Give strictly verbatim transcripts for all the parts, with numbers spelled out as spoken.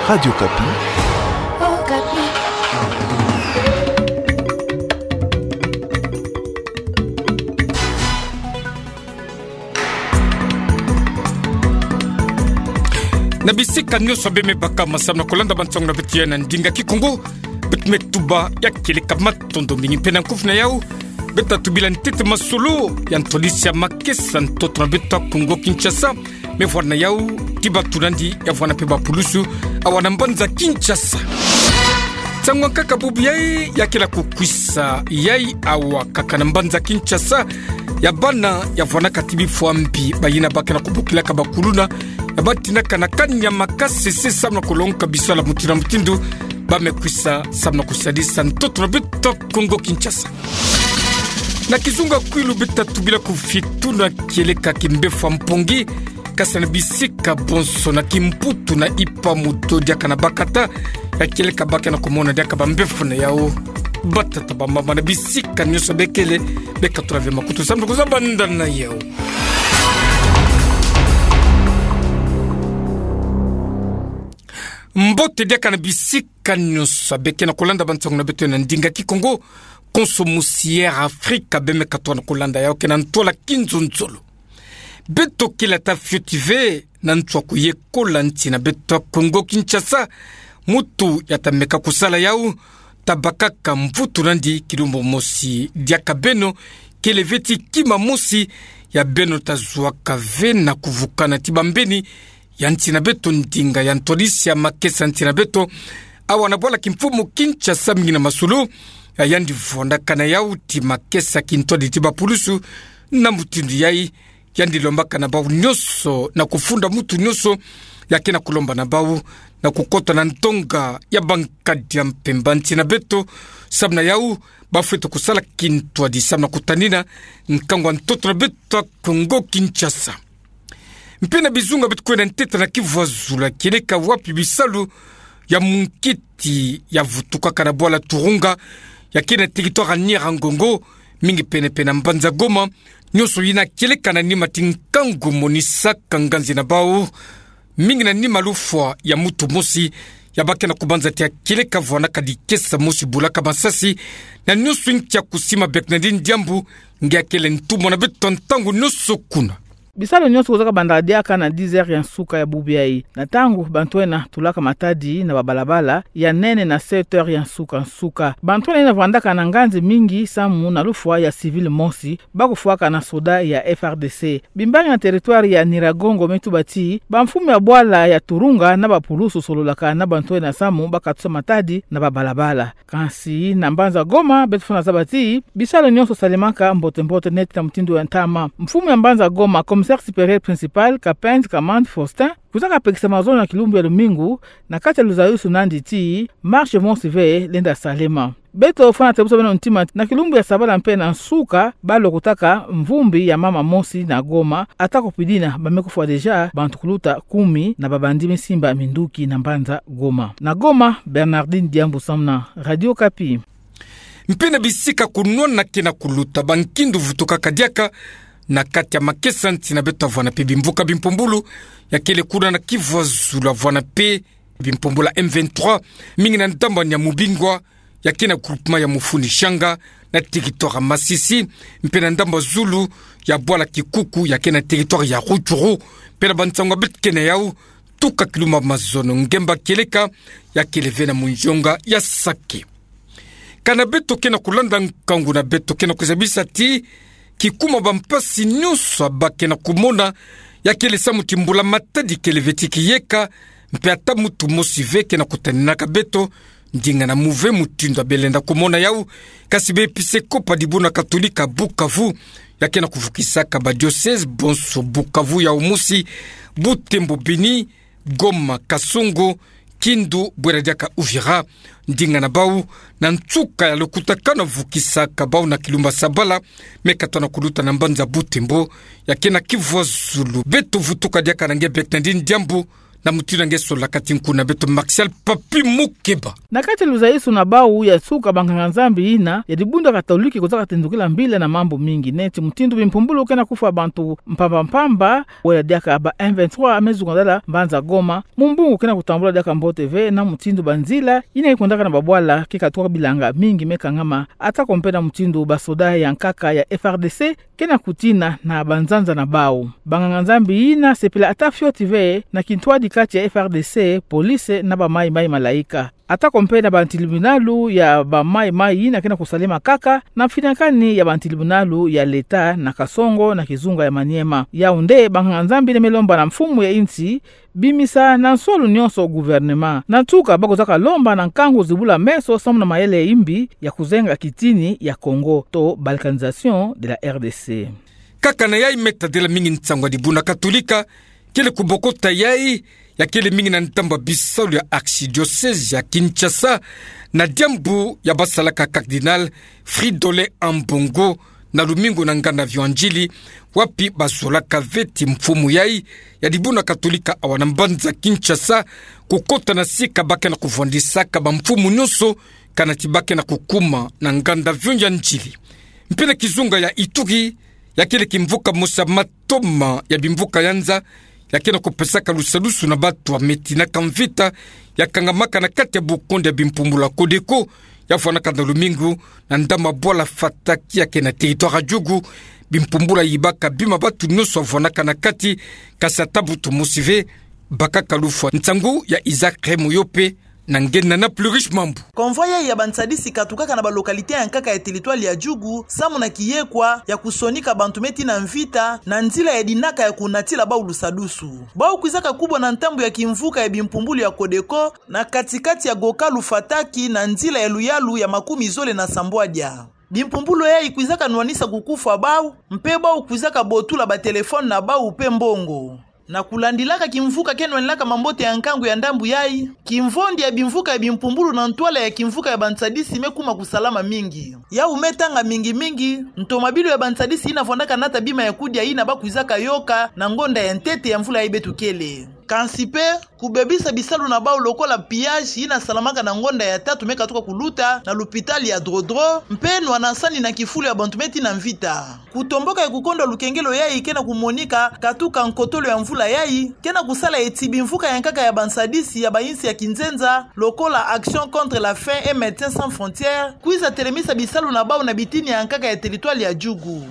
Radio Okapi. Na bisika nyonso beme baka masamu na kolanda bansango na beto ya na ndinga Kikongo, beto me tuba ya kieleka matondo mingi mpe na nkufi na yau. Beto tubila ntete masolo ya ntwadisi ya makesa ntoto na beto Kongo Kinshasa. Me vwanda na yau, ti bato nandi ya vwanda mpe bapulusu, awa na mbanza Kinshasa. Nsangu ya nkaka bubu yai, ya kele kukwisa yai awa kaka na mbanza Kinshasa, ya bana ya vwandaka ti bifwa mbi, bayina ba ke na kubokilaka bakuluna, ya batindaka na kani ya makasese samu na kulongoka biswala mutindu na mutindu, ba me kwisa samu na kusadisa ntoto na beto Kongo Kinshasa. Na kizunga kwilu beto tubila kufitu na kieleka kimbefwa mpongi, kasi na bisika bonso na Kimputu na Ipa-Muto diaka na bakata ya kieleka ba ke na kumona diaka bambefwa na yau. Batata bamama na bisika nyonso bekele, beka tula ve makutu samu na kuzaba nda na yau. Mbote diaka na bisika nyonso beke na kolanda bansango na beto na ndinga Kikongo. Konso mosi Air Afrika beme katoka na kolanda yau ke na ntwala kinzonzolo. Beto kele ata fioti ve na nswa kuyekola nsi na beto Kongo Kinshasa. Mutu ya ta meka kusala yau ta bakaka mvutu nandi kilumbu mosi diaka beno, kele ve ti kima mosi ya beno ta zuaka ve na kuvukana ti bambeni ya nsi na beto, ndinga ya ntwadisi ya makesa nsi na beto. Awa na bwala kimfumu Kinshasa, mingi na masolo ya yandi vwandaka na yau ti makesa kintwadi ti bapulusu. Na mutindu yai, yandi lombaka na bau nyonso na kufunda mutu nyonso ya ke na kulomba na bau na kukota na ntonga ya bankadi ya mpemba nsi na beto, samu na yau bafwete kusala kintwadi samu na kutanina nkangu ya ntoto na beto Kongo Kinshasa. Mpe na bizunga beto kwenda ntete na Kivu ya Zulu, kieleka wapi bisalu ya munkiti ya vutukaka na bwala Turunga, ya ke na territoire ya Nyiragongo, mingi pene-pene na mbanza Goma. Nyonso yina kieleka na nima ti nkangu monisaka nganzi na bau, mingi na nima lufwa ya mutu mosi ya ba ke na kubanza ti ya kieleka vwandaka dikesa mosi bulaka masasi, na nyonso nkia kusima Bernardine Diambu, nge akele ntumwa na beto ntangu nyonso kuna. Bisalu nyonso kozaka banda diaka na dix heures ya nsuka ya bubu yai. Na ntangu bantu ena tulaka matadi na babalabala ya nene na sept heures ya nsuka-nsuka. Bantu ena vwandaka na nganzi mingi samu na lufwa ya civil mosi, ba kufwaka na soda ya F R D C. Bimbangi na territoire ya Nyiragongo me tuba ti bamfumu ya bwala ya Turunga na bapulusu sololaka na bantu ena samu ba katusa matadi na babalabala. Kansi na mbanza Goma, beto fwana zaba ti bisalu nyonso salemaka mbote-mbote neti na mutindu ya ntama. Mfumu ya mbanza Goma, commissaire supérieur principal, Kapend Kamand Faustin, kuza kapekisa mazono na kilumbu ya lumingu, na kati ya luzayusu nandi ti marche mosi ve lenda salema. Beto fwana tebusa beno ntima, na kilumbu ya sabala mpe na nsuka, ba lokotaka mvumbi ya mama mosi na Goma, ata kupidina ba me kufwa déjà bantu kuluta kumi na babandi me simba minduki na mbanza Goma. Na Goma, Bernardine Diambu samu na Radio Okapi. Mpe na bisika kunwana ke na kuluta, bankindu vutukaka diaka na kati ya makesa nsi na beto, vwanda mpe bimvuka bimpumbulu ya kele kuna na Kivu ya Zulu, vwanda mpe bimpumbulu ya M vingt-trois, mingi na ndambu ya Mubingwa, ya ke na groupement ya Mufuni-Shanga, na territoire ya Masisi, mpe na ndambu ya zulu ya bwala Kikuku, ya ke na territoire ya Rutshuru. Mpe na bansangu beto ke na yau, tuka kilumbu ya mazono, ngemba kieleka ya kele ve na munzonga ya Sake. Kana beto ke na kulanda nkangu na beto ke na kuzabisa ti kikuma bampasi nyonso ba ke na kumona, ya kele samu ti mbula matadi kele ve ti kiyeka, mpe ata mutu mosi ve ke na kutaninaka beto ndinga na muve mutindu ya belenda kumona yau. Kasi b'episkopo ya dibundu katolika Bukavu, ya ke na kuvukisaka badiocèse bonso, Bukavu ya mosi, Butembo, Beni, Goma, Kasongo, Kindu, bwera diaka Uvira, ndinga na bau, na nsuka ya lokutakanu vukisaka bau na kilumbu ya sabala, me katoka na kuluta na mbanza Butembo, ya ke na Kivu ya Zulu. Beto vutuka diaka na nge Bernardine Diambu, Na mutindu na nge solaka ti nkuna beto Martial Papi Mukeba. Na kati ya luzaisu na bau ya suka, banganga-Nzambi ina ya dibundu Katoliki kwizaka tendukila mbila na mambu mingi neti mutindu bimpumbulu ke na kufwa bantu mpamba mpamba, wala diaka ba M vingt-trois me zungazala mbanza Goma, mumbungu ke na kutambula diaka mbote ve, na mutindu banzila ina ikwendaka na babwala ke katuka bilanga mingi me kangama, ata ko mpe na mutindu basoda ya nkaka ya F R D C ke na kutina na banzanza na bau. Banganga-Nzambi ina sepela ata fioti ve na kintwadi kati ya F R D C, police na ba Mai Mai Malaika. Ata ko mpe na bantilibinalu ya ba Mai Mai ina ke na kusalema kaka na mfinakani ya bantilibinalu ya leta na Kasongo na kizunga ya Maniema. Yau nde banganga-Nzambi ina me lomba na mfumu ya insi bimisa na nswalu nyonso gouvernement. Na nsuka, bakwizaka lomba na nkangu zibula meso samu na mayele ya imbi ya kuzenga kitini ya Kongo to balkanisation de la R D C. Kaka na yai me tadila mingi nsangu ya dibundu Katolika kele kubokota yai, ya kele mingi na ntambwe ya bisalu ya archidiocèse ya Kinshasa, na diambu ya basalaka Cardinal Fridolin Ambongo na lumingu na nganda viwanjili, wapi bazolaka ve ti mfumu yai ya dibundu Katolika awa na mbanza Kinshasa kukota na sika ba ke na kuvwandisaka bamfumu nyonso, kana ti ba ke na kukuma na nganda viwanjili. Mpe na kizunga ya Ituri, ya kele kimvuka mosi ya matoma ya bimvuka ya nza ya ke na kupesaka lusadusu na bato ya metinaka mvita, ya kangamaka na kati ya bukonde ya bimpumbulu ya Codeco, ya vwanaka na lumingu na ndambu ya bwala Fataki ya ke na territoire ya Djugu. Bimpumbulu ya yibaka bima bato nyonso ya vwanaka na kati, kasi ata moto mosi ve bakaka lufwa. Nsangu ya Isaac Remoyope na nge na Plus Riche Mambu. Convoi yai ya bansadisi katukaka na balocalité ya nkaka ya territoire ya Djugu, samu na kiyekwa ya kusonika bantu me tina mvita na nzila ya dinaka ya kunatila bau lusadusu. Bau kwizaka kubwa na ntambwe ya kimvuka ya bimpumbulu ya Codeco, na kati-kati ya gokalu Fataki na nzila ya luyalu ya makumi zole na sambwadia. Bimpumbulu yai kwizaka nwanisa kukufwa bau, mpe bau kwizaka botula batelefone na bau mpe mbongo. Na kulandilaka kimvuka ke nwanilaka mambote ya nkangu ya ndambu yai, kimvondi ya bimvuka ya bimpumbulu na ntwala ya kimvuka ya bansadisi me kuma kusalama mingi. Yau me tanga mingi-mingi ntomabilu ya bansadisi ina vwandaka nata bima ya kudia ina ba kwizaka yoka na ngonda ya ntete ya mvula yai beto kele. Kansi mpe, kubebisa bisalu na bau lokola pillage ina salamaka na ngonda ya tatu me katuka kuluta na lupitali ya Drodro, mpe nwanasani na kifulu ya bantu me tina mvita. Kutomboka ya kukondwa lukengelo yai ke na kumonika katuka nkotolo ya mvula yai, ke na kusala eti bimvuka ya nkaka ya bansadisi ya bayinsi ya kinzenza, lokola Action contre la faim et Médecins Sans Frontières, kwiza telemisa bisalu na bau na bitini ya nkaka ya territoire ya Djugu.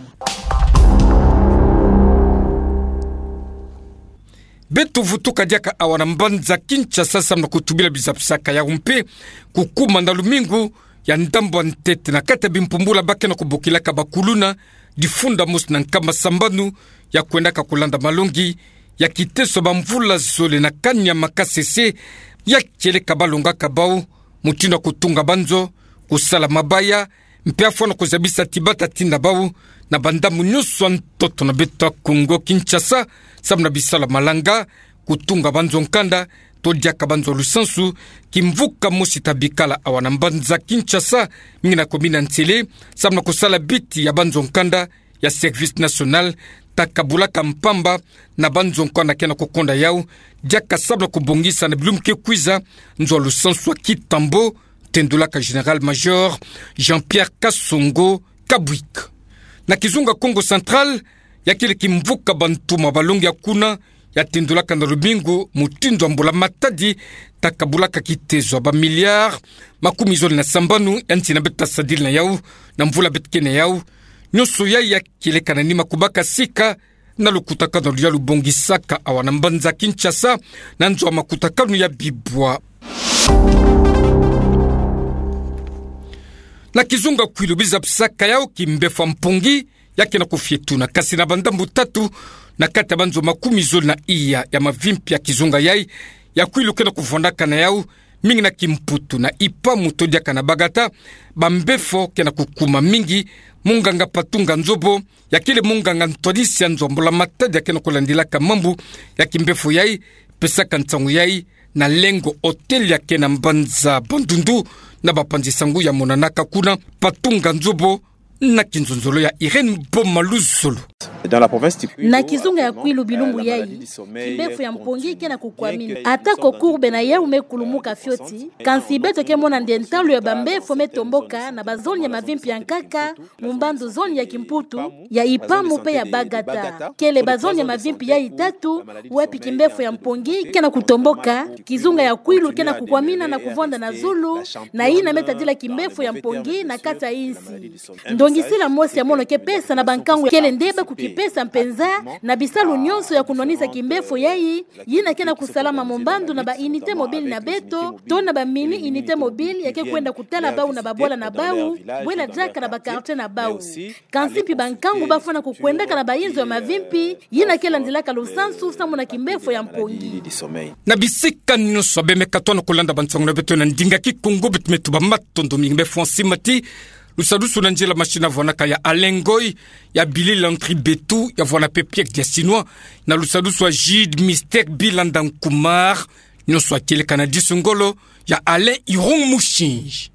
Beto vutuka diaka awa na mbanza Kinshasa samu na kutubila bizapisaka yau mpe kukuma na lumingu ya ndambu ya ntete na kati ya bimpumbulu ba ke na kubokilaka bakuluna, difunda mosi na nkama sambanu ya kwendaka kulanda malongi ya kiteso bamvula zole na kani ya makasese, ya kieleka balongaka bau mutindu ya kutunga banzo, kusala mabaya, mpe afwana kuzabisa ti bata tinda bau na bandambu nyonso ya ntoto na beto ya Kongo Kinshasa, samu na bisalu ya malanga, kutunga banzo nkanda, to diaka banzo lusansu. Kimvuka mosi ta bikala awa na mbanza Kinshasa, mingi na commune ya Nsele, samu na kusala biti ya banzo nkanda ya Service National, ta kabulaka mpamba na banzo nkanda ke na kukonda yau, diaka samu na kubongisa na bilumbu ke kwiza nzo ya lusansu ya Kitambo, tendulaka Général-Major Jean-Pierre Kasongo Kabwik. Na kizunga Kongo Central, ya kele kimvuka bantuma balongi ya kuna, ya tendulaka na lumingu mutindu ya mbula matadi, ta kabulaka kitezo ya ba milliards makumi zole na sambanu ya nsi na beto ta sadila na yau, na mvula beto ke na yau. Nyonso yai ya kieleka na nima kubaka sika na lukutakanu ya lubongisaka awa na mbanza Kinshasa, na nzo ya makutakanu ya bibwa. Na kizunga Kwilu, bizapisaka yau, kimbefo ya mpongi ya ke na kufietuna kasi na bandambu tatu na kati ya banzo makumi zole na iya ya mavimpi ya kizunga yai ya Kwilu ke na kuvwandaka na yau, mingi na Kimputu, na Ipamu to diaka na Bagata, bambefo ke na kukuma mingi. Munganga Patunga Nzobo, ya kele munganga ntwadisi ya nzo ya mbula matadi ya ke na kulandilaka mambu ya kimbefo yai, pesaka nsangu yai na Lengo Hotel ya ke na mbanza Bandundu, na bapanzi sangu ya monanaka kuna. Patunga Nzobo na kinzonzolo ya Irène Boma Luzolo. Na kizunga ya Kwilu, bilumbu yayi kimbefo ya mpongi ke na kukwamina. Atako courbe na yawu me kulumuka fioti, kansi beto ke mona nde ntalu ya bambefo me tomboka na bazone ya mavimpi ya nkaka, mu mbandu zone ya Kimputu, ya Ipamu pe ya Bagata. Kele bazone ya mavimpi yayi tatu wapi kimbefo ya mpongi ke na kutomboka, kizunga ya Kwilu ke na kukwamina na kuvonda na zulu, na yina me tadila kimbefo ya mpongi na kati ya insi. Ndongisila mosi ya mono ke pesa na bankangu kele nde ba kukipesa mpenza na bisalu nyonso ya kunwanisa kimbefo yayi, yina ke na kusalama mu mbandu na ba unité mobile na beto, to na ba mini unité mobile ya ke kwenda kutala bawu na babwala na bawu, bwela diaka na ba quartier na bawu. Kansi mpi bankangu bafwana kukwendaka na bayinzo ya mavimpi, yina ke landilaka lusansu samu na kimbefo ya mpongi. Na bisika nyonso abe me katona kulanda bansangu na beto na ndinga Kikongo, beto me tuba matondo mingi. Bembe fwa nsi mati lusadusu na nzila machine vwanaka ya Alain Ngoy, ya Billy Landry Betu, ya vwana pe Pierre Diasinois, na lusadusu ya Jude Mister Bilanda Nkumar, nyonso ya kieleka na disu ngolo ya Alain Irung Mushinji.